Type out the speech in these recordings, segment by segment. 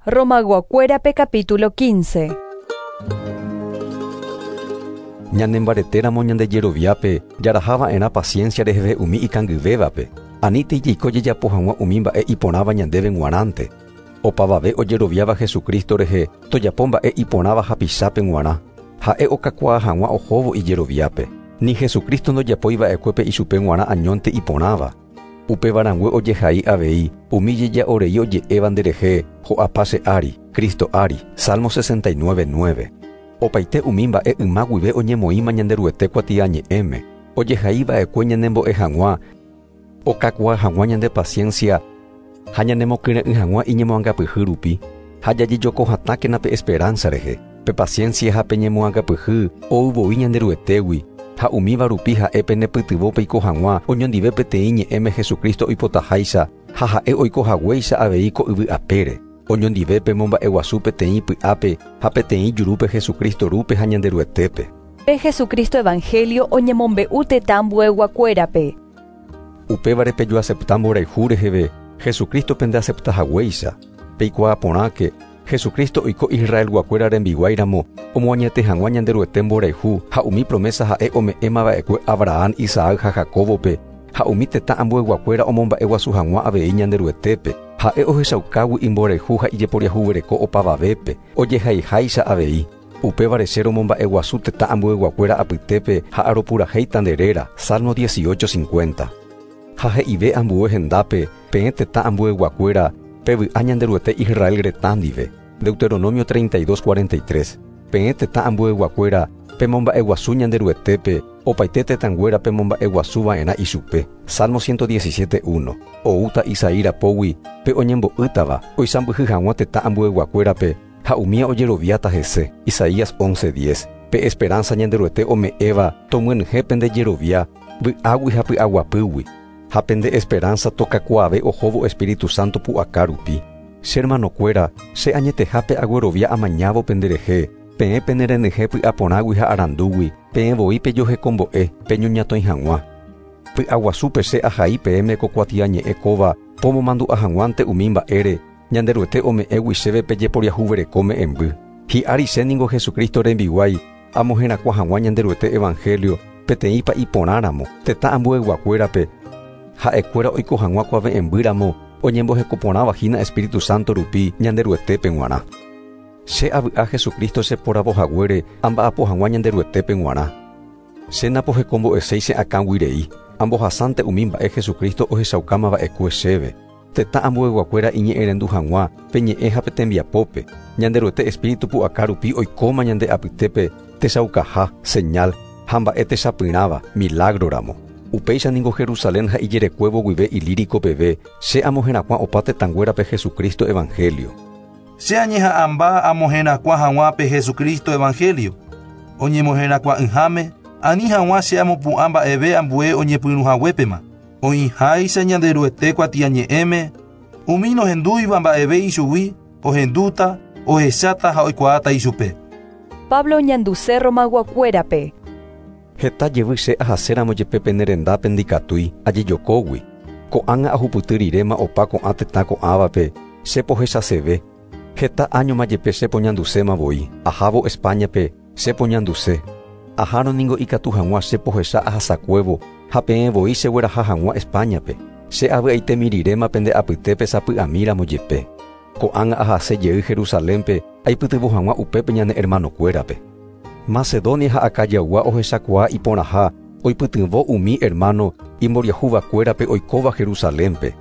Romayguakuérape capítulo 15. Ñanembaretéramo ñande jeroviápe jaraha va'erã paciencia reheve umi ikangyvévape, anítei jaiko jajapo hag̃ua umi mba'e iporãva ñandéve g̃uarãnte. Opavave ojeroviáva Jesucristo rehe tojapo mba'e iporãva hapichápe g̃uarã, ha'e okakuaa hag̃ua ohóvo ijeroviápe. Ni Jesucristo ndojapói va'ekuépe ichupe g̃uarã añónte iporãva. Upéva rangue ojehai avei umi jeja'orei oje'éva nderehe ho'apa che ári, Cristo ári. Salmo 69.9. Opaite umi mba'e yma guive oñemoĩma Ñanderuete kuatiañe'ẽme, ojehai va'ekue ñanembo'e hag̃ua, okakuaa hag̃ua ñande paciencia ha ñanemokyre'ỹ hag̃ua iñemoangapyhy rupi, ha jajejokohatãkena pe esperanza rehe. Pe paciencia ha pe ñemoangapyhy ou voi Ñanderuetégui, ha umíva rupi ha'e penepytyvõ peiko hag̃ua oñondive peteĩ ñe'ẽme Jesucristo oipotaháicha ha ha'e oiko haguéicha avei ko yvy apére. Oñondive pemomba'eguasu peteĩ py'ápe ha peteĩ jurúpe Jesucristo rúpe ha Ñanderuetépe. Pe Jesucristo Evangelio oñemombe'u tetã ambueyguakuérape. Upévare pejoacepta mborayhu reheve Jesucristo pendeacepta haguéicha. Peikuaa porãke Jesucristo oiko Israelguakuéra rembiguáiramo omoañete hag̃ua Ñanderuete mborayhu ha umi promesa ha'e ome'ẽmava'ekue Abraham, Isaac ha Jacobope ha umi tetã ambueyguakuéra omomba'eguasu hag̃ua avei Ñanderuetépe. Ha'e ohechaukágui imborayhu ha ijeporiahuvereko opavavépe, ojehaiháicha avei. Upévare che romomba'eguasu tetã ambueyguakuéra apytépe ha aropurahéita nde réra. Salmo 18:50. Ha he'ive ambue hendápe peẽ tetã ambueyguakuéra pevy'a Ñanderuete Israel retã ndive. Deuteronomio 32:43. Peẽ tetã ambueyguakuéra pemomba'eguasu Ñanderuetépe opaite tetãnguéra pemomba'eguasu va'erã ichupe. Salmo 117:1. Oúta Isaí rapógui pe oñembo'ýtava oisãmbyhy hag̃ua tetã ambueyguakuérape ha umía ojeroviáta hese. Isaías 11:10. Pe esperanza Ñanderuete ome'ẽva tomyenyhẽ pende jerovia vy'águi ha py'aguapýgui. Ha pende esperanza tokakuaave ohóvo Espíritu Santo pu'aka rupi. Che hermanokuéra, che añetehápe aguerovia amañávo penderehe, peẽ penerenyhẽ py'aporãgui ha arandúgui, peẽ voi pejohekombo'e, peñoñatõi hag̃ua. Py'aguasúpe che ahai peẽme ko kuatiañe'ẽ kóva pomomandu'a hag̃uánte umi mba'ére Ñanderuete ome'ẽgui chéve pejeporiahuvereko me'ẽmby. Hi'ári che ningo Jesucristo rembiguái amoherakuã hag̃ua Ñanderuete Evangelio peteĩ pa'iporãramo tetã ambueyguakuérape ha'ekuéra oiko hag̃ua kuave'ẽmbýramo oñembohekoporãva hína Espíritu Santo rupi Ñanderuetépe g̃uarã. Che avy'a Jesucristo cheporavo haguére amba'apo hag̃ua Ñanderuetépe g̃uarã. Che napohekombo'eséi che akãguirei, ambohasánte umi mba'e Jesucristo ohechaukámava'ekue chéve. Tetã ambueyguakuéra iñe'ẽrendu hag̃ua pe ñe'ẽ ha pe tembiapópe. Ñanderuete Espíritu pu'aka rupi oikóma ñande apytépe techaukaha, señal ha mba'e techapyrãva, milagroramo. Upéicha ningo Jerusalén ha ijerekuévo guive Ilírico peve che amoherakuã opa tetãnguérape Jesucristo Evangelio. Che añeha'ãmba amoherakuã hag̃ua pe Jesucristo Evangelio. Oñemoherakuã'ỹháme, ani hag̃ua che amopu'ã mba'eve ambue oñepyrũhaguépema. Oĩháicha Ñanderuete kuatiañe'ẽme, umi nohendúiva mba'eve ichugui, ohendúta, ohecháta ha oikuaáta ichupe. Pablo oñanduse Romayguakuérape. Heta jevy che ahaséramo jepe pene rendápe ndikatúi ajejokógui. Ko'ág̃a ahupyty riréma opa ko'ã tetã ko'ãvape che pohechaseve. Heta áñoma jepe che poñanduséma voi. Ahávo Españape che poñanduse. Ahárõ ningo ikatu hag̃ua che pohecha ahasakuévo ha peẽ voi chegueraha hag̃ua Españape. Che avy'aitemi riréma pende apytépe sapy'amíramo jepe. Ko'ág̃a ahase jey Jerusalénpe aipytyvõ hag̃ua upépe ñane hermanokuérape. Macedonia ha Acayaygua ohechakuaa iporãha oipytyvõ umi hermano imboriahuvakuérape oikóva Jerusalénpe.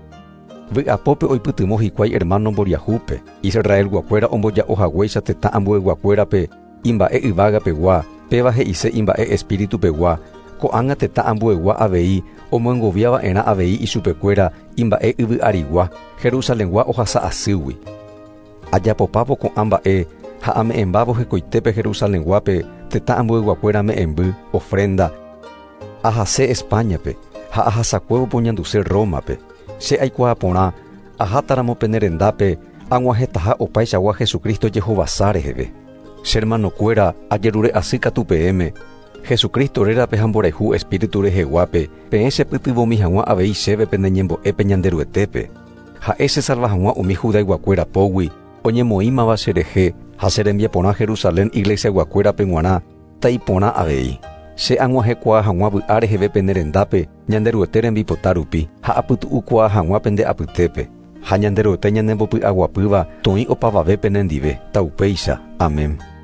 Vy'apópe oipytyvõ hikuái hermano mboriahúpe. Israelguakuéra omboja'o haguéicha tetã ambueyguakuérape imba'e yvágapegua, péva he'ise imba'e espíritupegua. Ko'ág̃a tetã ambuegua avei omoengoviava'erã avei ichupekuéra imba'e yvy arigua, Jerusalengua ohasa asýgui. Ajapopávo ko'ã mba'e ha ame'ẽmbávo hekoitépe Jerusalenguápe tetã ambueyguakuéra me'ẽmby, ofrenda. Ahase Españape ha ahasakuévo poñanduse Rómape. Che aikuaa porã ahátaramo pene rendápe ag̃uahẽtaha opaichagua Jesucristo jehovasa reheve. Che hermanokuéra ajerure asy katu peẽme, Jesucristo rérape ha mborayhu Espíritu reheguápe, peẽ chepytyvõmi hag̃ua avei chéve pene ñembo'épe Ñanderuetépe. Ha'e chesalva hag̃ua umi judayguakuéra pógui, oñemoĩmava cherehe ha che rembiaporã Jerusalén iglesiaguakuérape g̃uarã ta'iporã avei. Che ag̃uahẽkuaa hag̃ua vy'a reheve pene rendápe Ñanderuete rembipota rupi ha apytu'ukuaa hag̃ua pende apytépe. Ha Ñanderuete ñanembopy'aguapýva toĩ opavave penendive. Taupéicha. Amén.